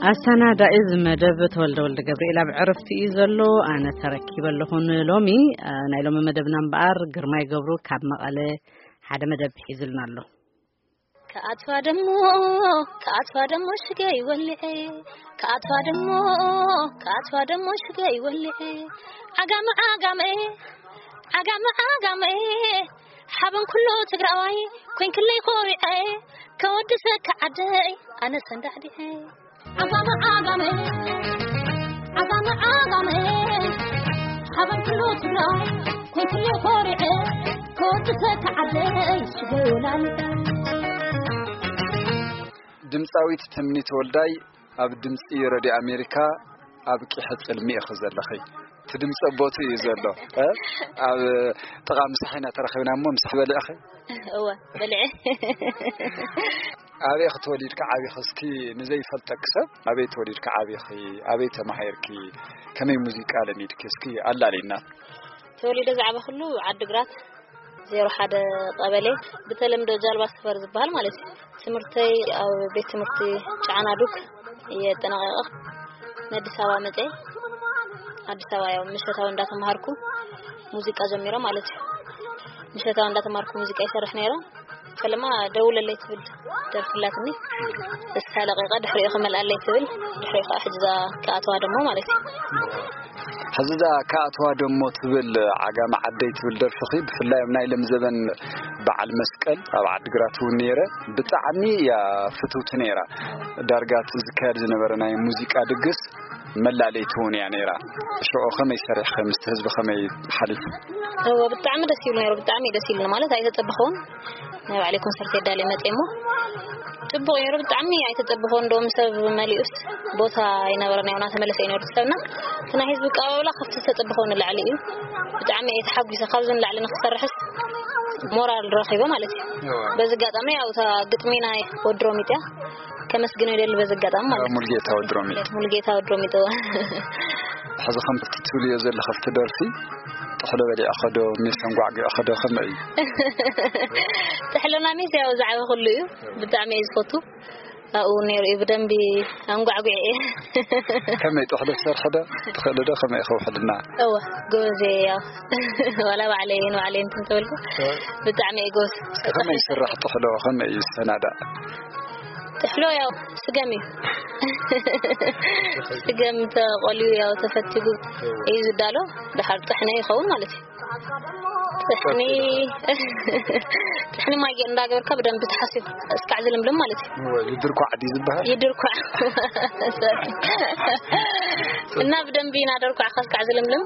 ኣሰናዳኢ እዚ መደብ ተወልደ ወልደ ገብርኤል ኣብ ዕረፍቲ እዩ ዘሎ። ኣነ ተረኪበ ኣለኹ ንሎሚ። እ፣ ናይ ሎሚ መደብና እምበኣር ግርማይ ገብሩ ካብ መቐለ ሓደ መደብ ሒዙልና ኣሎ። ክኣትዋ ደሞ፣ ክኣትዋ ደሞ ሽገይ ወልዐ፣ ክኣትዋ ደሞ፣ ክኣትዋ ደሞ ሽገይ ወልዐ። ዓጋመ ዓጋመ፣ ዓጋመ ዓጋመ፣ ሓበን ኩሉ ትግራዋይ፣ ኮንክለይ ኮሪዐ፣ ከወድሰካ ዓደይ፣ ኣነ ሰንዳዕዲዐ። ዓጋመ ዓጋመ፣ ዓጋመ ዓጋመ፣ ሓበን ኩሉ ትግራዋይ፣ ኮንክለይ ኮሪዐ፣ ከወድሰካ ዓደይ፣ ሽገይ ወላሊዐ። ድምፃዊት ትምኒት ወልዳይ ኣብ ድምፂ ረድዮ ኣሜሪካ ኣብ ቂሐ ፅልሚ ኢኺ ዘለኺ። እቲ ድምፂ ኣቦቱ እዩ ዘሎ። እ? ኣብ ጥቓ ምሳሕ ኢና ተረኺብና እሞ ምሳሕ በሊዕኺ? እወ፣ በሊዐ። ኣበይ ኢኺ ተወሊድካ ዓቢኺ? እስኪ ንዘይፈልጠኪ ሰብ ኣበይ ተወሊድካ ዓቢኺ? ኣበይ ተማሃርኪ? ከመይ ሙዚቃ ለሚድኪ? እስኪ ኣላልይና። ተወሊደ ዝዓበኹሉ ዓዲግራት ዜሮ ሓደ ቀበሌ፣ ብተለምዶ ጃልባ ሰፈር ዝበሃል ማለት እዩ። ትምህርተይ ኣብ ቤት ትምህርቲ ጨዓና ዱክ እየ ኣጠናቒቐ ንኣዲስ ኣበባ መፀ። ኣዲስ ኣበባ ያው ምሸታዊ እንዳተምሃርኩ ሙዚቃ ጀሚረ ማለት እዩ። ምሸታዊ እንዳተምሃርኩ ሙዚቃ ይሰርሕ ነይረ። ፈለማ ደውለለይ ትብል ደርፊ ኣላትኒ። እሳ ለቂቐ ድሕሪኡ ክመልኣለይ ትብል፣ ድሕሪኡ ከዓ ሕጂ እዛ ክኣትዋ ደሞ ማለት እዩ። ሕዚ እዛ ክኣትዋ ደሞ ትብል ዓጋመ ዓደይ ትብል ደርፍኺ፣ ብፍላይ ኣብ ናይ ሎም ዘበን በዓል መስቀል ኣብ ዓዲግራት እውን ነይረ፣ ብጣዕሚ እያ ፍትውቲ ነይራ። ዳርጋ እቲ ዝካየድ ዝነበረ ናይ ሙዚቃ ድግስ መላለይቲ እውን እያ ነይራ። ሽዑ ከመይ ሰሪሕኺ? ምስቲ ህዝቢ ከመይ ሓሊፉ? እወ፣ ብጣዕሚ ደስ ይብሉ ነይሩ። ብጣዕሚ እዩ ደስ ይብሉ ማለት ኣይተጸበኸውን። ናይ ባዕለይ ኮንሰርት የዳልየ መጽየ እሞ ጽቡቕ ነይሩ። ብጣዕሚ ኣይተጸበኸውን። እንደውም ሰብ መሊኡስ ቦታ ኣይነበረን። ያው እናተመለሰ እዩ ነይሩ ሰብና። እቲ ናይ ህዝቢ ኣቀባብላ ካብቲ ዝተጸበኸውን ንላዕሊ እዩ። ብጣዕሚ እየ ተሓጒሰ። ካብዚ ንላዕሊ ንክሰርሕስ ሞራል ረኺበ ማለት እዩ። እወ። በዚ ኣጋጣሚ ያው እታ ግጥሚ ናይ ወዲ ሮሚጥ እያ። ከመስግኖ ይደሊ በዚ ኣጋጣሚ ማለት እዩ። ሙሉጌታ ወዲ ሮሚጥ። ሙሉጌታ ወዲ ሮሚጥ፣ እወ። ሕዚ ከምቲ ትብልዮ ዘለኺ ኣብቲ ደርፊ፣ ጥሕሎ በሊዕኺ ዶ፣ ሜስ ኣንጓዕጒዕኺ ዶ፣ ከመይ እዩ? ጥሕሎና ሜስ ያው ዝዓበኹሉ እዩ። ብጣዕሚ እየ ዝፈቱ። ኣብኡ ነይሩ እዩ ብደንቢ ኣንጓዕጒዐ እየ። ከመይ ጥሕሎ ትሰርሒ ዶ? ትኽእሊ ዶ? ከመይ ኢኺ ውሕልና? እወ፣ ጎበዝ እየ ያው። ዋላ ባዕለይ ንባዕለይ እንትን ተበልኩ፣ እወ። ብጣዕሚ እየ ጎበዝ። እስኪ ከመይ ይስራሕ ጥሕሎ? ከመይ እዩ ዝሰናዳእ? ጥሕሎ ያው ስገም እዩ። ስገም ተቆልዩ ያው ተፈቲጉ እዩ ዝዳሎ። ድሓር ጥሕነ ይኸውን ማለት እዩ። ጥሕኒ፣ ጥሕኒ ማይ እንዳገበርካ ብደንብ ተሓሲቡ እስካዕ ዝልምልም ማለት እዩ። እወ፣ ይድርኳዕ ድዩ ዝበሃል? ይድርኳዕ። እና ብደንብ እናደርኳዕካ እስካዕ ዝልምልም።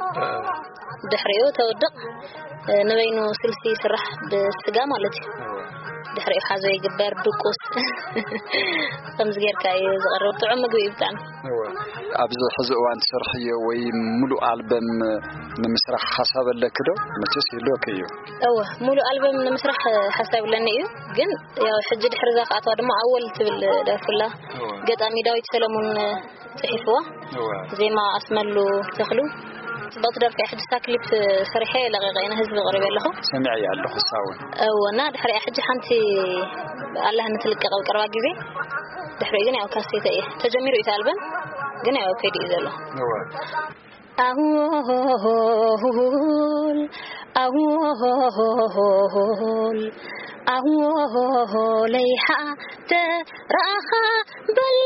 ድሕሪኡ ተውድቕ፣ ንበይኑ ስልሲ ይስራሕ ብስጋ ማለት እዩ። ድሕሪኡ ሓዞ ይግበር፣ ድቁስ። ከምዚ ጌርካ እዩ ዝቐርብ። ጥዑም ምግቢ እዩ ብጣዕሚ። እወ። ኣብዚ ሕዚ እዋን ትሰርሕዮ ወይ ሙሉእ ኣልበም ንምስራሕ ሓሳብ ኣለኪ ዶ? መቸስ ይህልወኪ እዩ። እወ፣ ሙሉእ ኣልበም ንምስራሕ ሓሳብ ኣለኒ እዩ። ግን ያው ሕጂ ድሕሪ እዛ ክኣትዋ ድማ ኣወል ትብል ደርፍላ። እወ። ገጣሚ ዳዊት ሰለሙን ጽሒፍዋ። እወ። ዜማ ኣስመሉ ተኽሉ። ጽብቕቲ ደርፊ እያ። ሕጂ እሳ ክሊፕ ሰሪሐ ለቒቐ ኢና ህዝቢ ኣቕሪበ ኣለኹ። ሰሚዐያ ኣለኹ እሳ እውን። እወ፣ እና ድሕሪኣ ሕጂ ሓንቲ ኣላ ንትልቀቕ ኣብ ቀረባ ግዜ። ድሕሪኡ ግን ያው ካሴተ እየ። ተጀሚሩ እዩ እቲ ኣልበም፣ ግን ያው ከይዱ እዩ ዘሎ። እወ። ኣወል፣ ኣወል፣ ኣወለይ ሓደራኻ በል፣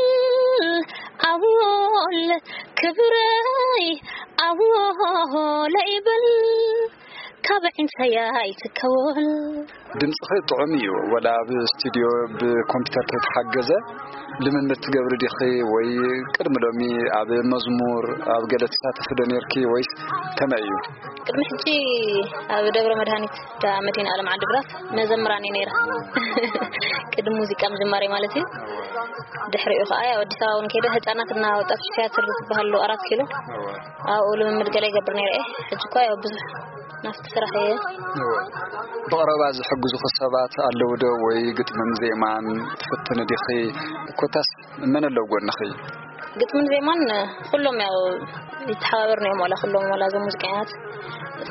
ኣወል ክብረይ፣ ኣወለይ በል፣ ካብ ዒንሰይ ኣይትከወል። ድምፅኺ ጥዑም እዩ፣ ወላ ኣብ ስቱድዮ ብኮምፒውተር ተይተሓገዘ ልምምድ ትገብሪ ዲኺ? ወይ ቅድሚ ሎሚ ኣብ መዝሙር ኣብ ገለ ትሳተፊ ዶ ኔርኪ ወይስ ከመይ እዩ? ቅድሚ ሕጂ ኣብ ደብረ መድሃኒት ዳ መድህን ዓለም ዓዲግራት መዘምራን እየ ነይረ። ቅድሚ ሙዚቃ ምጅማረይ ማለት እዩ። ድሕሪኡ ከዓ ያው ኣዲስ ኣበባ እውን ከይደ ህፃናትና ወጣቶች ቲያትር ዝበሃል ኣሎ ኣራት ኪሎ ኣብኡ ልምምድ ገለ ይገብር ነይረ እየ። ሕጂ እኳ ያው ብዙሕ ናብቲ ስራሕ እየ። እወ። ብቐረባ ዝሕግዙኺ ሰባት ኣለዉ ዶ? ወይ ግጥምን ዜማን ትፍትኒ ዲኺ? ኮታስ መን ኣለዉ ጎንኺ? ግጥምን ዜማን ኩሎም ያው ይተሓባበርና እዮም፣ ዋላ ኩሎም ዋላ እዞም ሙዚቀኛታት።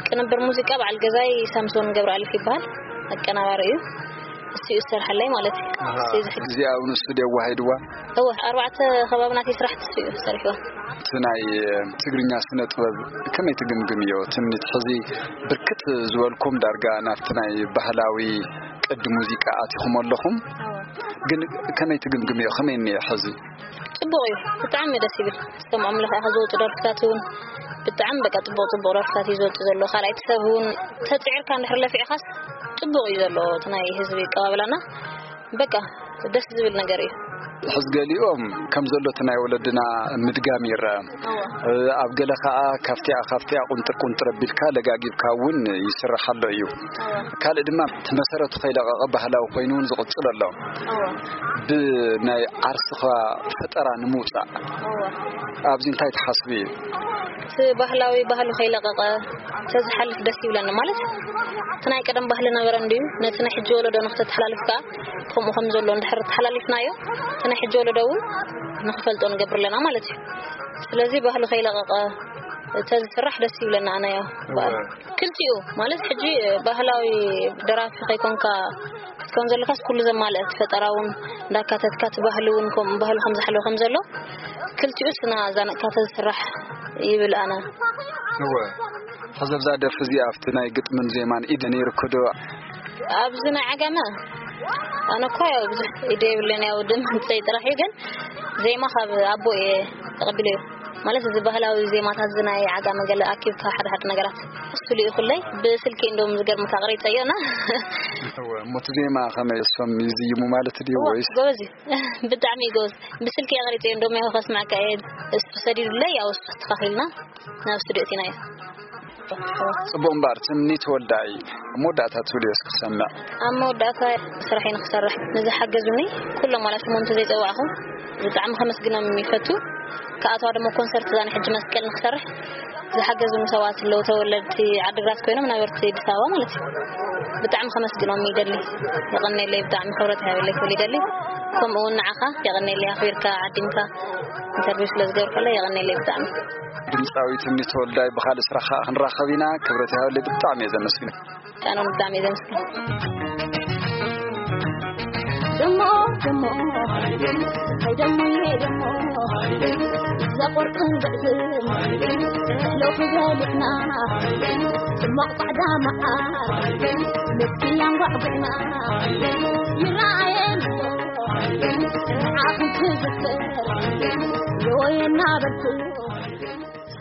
ቅንብር ሙዚቃ በዓል ገዛይ ሳምሶን ገብረኣሊፍ ይበሃል፣ ኣቀናባሪ እዩ። እሱ እዩ ዝሰርሓለይ ማለት እዩ። እሱ እዩ ዝሕግ- እዚኣ እውን ስቱድዮ ኣዋሂድዋ። እወ፣ ኣርባዕተ ከባቢ ናተይ ስራሕቲ እሱ እዩ ሰሪሕዋ። እቲ ናይ ትግርኛ ስነ ጥበብ ከመይ ትግምግምዮ? ትምኒት ሕዚ ብርክት ዝበልኩም ዳርጋ ናብቲ ናይ ባህላዊ ቅዲ ሙዚቃ ኣቲኹም ኣለኹም። ግን ከመይ ትግምግምዮ? ከመይ እኒኦ ሕዚ? ጽቡቕ እዩ፣ ብጣዕሚ ደስ ይብል። ዝሰምዖም ለኻ ዝወፁ ደርፍታት እውን ብጣዕሚ በቃ ጽቡቕ ጽቡቕ ደርፍታት እዩ ዝወፁ ዘሎ። ካልኣይቲ ሰብ እውን ተፅዒርካ እንድሕር ለፊዕኻስ ጽቡቕ እዩ ዘሎ እቲ ናይ ህዝቢ ኣቀባብላና። በቃ ደስ ዝብል ነገር እዩ። ሕዚ ገሊኦም ከም ዘሎ እቲ ናይ ወለድና ምድጋም ይረአ። ኣብ ገለ ከኣ ካብቲኣ ካብቲኣ ቁንጥር ቁንጥር ኣቢልካ ለጋጊብካ እውን ይስራሕ ኣሎ እዩ። ካልእ ድማ እቲ መሰረቱ ከይለቐቐ ባህላዊ ኮይኑ እውን ዝቕጽል ኣሎ። ብናይ ዓርስኻ ፈጠራ ንምውጻእ ኣብዚ እንታይ ትሓስቢ? እቲ ባህላዊ ባህሉ ከይለቐቐ ተዝሓልፍ ደስ ይብለኒ። ማለት እቲ ናይ ቀደም ባህሊ ነበረ እንድዩ፣ ነቲ ናይ ሕጂ ወለዶ ንክተተሓላልፍ ከኣ ከምኡ ከም ዘሎ እንድሕር ተሓላሊፍናዮ፣ እቲ ናይ ሕጂ ወለዶ እውን ንክፈልጦ ንገብር ኣለና ማለት እዩ። ስለዚ ባህሊ ከይለቐቐ ተዝስራሕ ደስ ይብለና። ኣነ ያው ክልቲኡ ማለት ሕጂ ባህላዊ ደራፊ ከይኮንካ ክትከውን ዘለካስ ኩሉ ዘማልአ እቲ ፈጠራ እውን እንዳካተትካ እቲ ባህሊ እውን ከም ባህሉ ከም ዝሓለወ ከም ዘሎ ክልቲኡ ስና ዛነቅካ ተዝስራሕ ይብል ኣነ። እወ። ሕዚ ኣብዛ ደርፊ እዚኣ ኣብቲ ናይ ግጥምን ዜማን ኢድ ነይርኩ ዶ? ኣብዚ ናይ ዓጋመ ኣነ እኮ ያው ብዙሕ ኢደ የብለን፣ ያው ድምፀይ ጥራሕ እዩ። ግን ዜማ ካብ ኣቦ እየ ተቐቢለዮ። ማለት እዚ ባህላዊ ዜማታት እዚ ናይ ዓጋመ ገለ ኣኪብካ ሓደ ሓደ ነገራት እሱ ልኢኹለይ። ብስልኪ እንደውም ዝገርምካ ኣቕሪፀዮ እና እወ፣ እሞ እቲ ዜማ ከመይ እሶም ይዝይሙ ማለት ድዩ እወ፣ ወይስ? ጎበዝ እዩ። ብጣዕሚ እዩ ጎበዝ። ብስልኪ ኣቕሪፀዮ እንደውም ያው ከስማዕካ እየ። እሱ ሰዲዱለይ፣ ያው እሱ ኣስተኻኺልና ናብ ስቱዲዮ እቲናዮ። ጽቡቕ እምበር፣ ትምኒት ወልዳይ፣ ኣብ መወዳእታ ትብልዮ እስኪ ክሰምዕ። ኣብ መወዳእታ ስራሐይ ንክሰርሕ ንዝሓገዙኒ ኩሎም ዋላ ሽሞም እንተዘይጸዋዕኹ ብጣዕሚ ከመስግኖም ይፈቱ። ክኣትዋ ድማ ኮንሰርት ዛን ሕጂ መስቀል ንክሰርሕ ዝሓገዙኒ ሰባት ኣለዉ፣ ተወለድቲ ዓድግራት ኮይኖም ነበርቲ ኣዲስ ኣበባ ማለት እዩ። ብጣዕሚ ከመስግኖም ይደሊ። የቐኔለይ፣ ብጣዕሚ ክብረት ይሃበለይ ክብል ይደሊ። ከምኡ እውን ንዓኻ የቐኔለይ፣ ኣኽቢርካ ዓዲምካ ኢንተርቪው ስለ ዝገበርካለይ የቐኔለይ ብጣዕሚ። ድምፃዊ ትምኒት ወልዳይ፣ ብኻልእ ስራሕ ከዓ ክንራኸብ ኢና። ክብረት ይሃበለይ፣ ብጣዕሚ እየ ዘመስግን። ኣነ እውን ብጣዕሚ እየ ዘመስግን። ደሞ ደሞ ኣይደሞ ደሞ ዘቆርጥን ዘዕዝም ሎኪ ዘልጥና ጽማቕ ጻዕዳ መዓር ንክቲ ኣንጓዕጉዕና ይረኣየን ኣሎ ዓኹም ትዝክር የወየና በልኩ።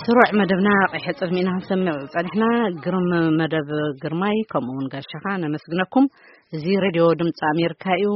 ስሩዕ መደብና ቀይሕ ጽልሚ ኢና ክንሰምዕ ጸኒሕና። ግርም መደብ ግርማይ፣ ከምኡ እውን ጋሻኻ ነመስግነኩም። እዚ ሬድዮ ድምፂ ኣሜሪካ እዩ።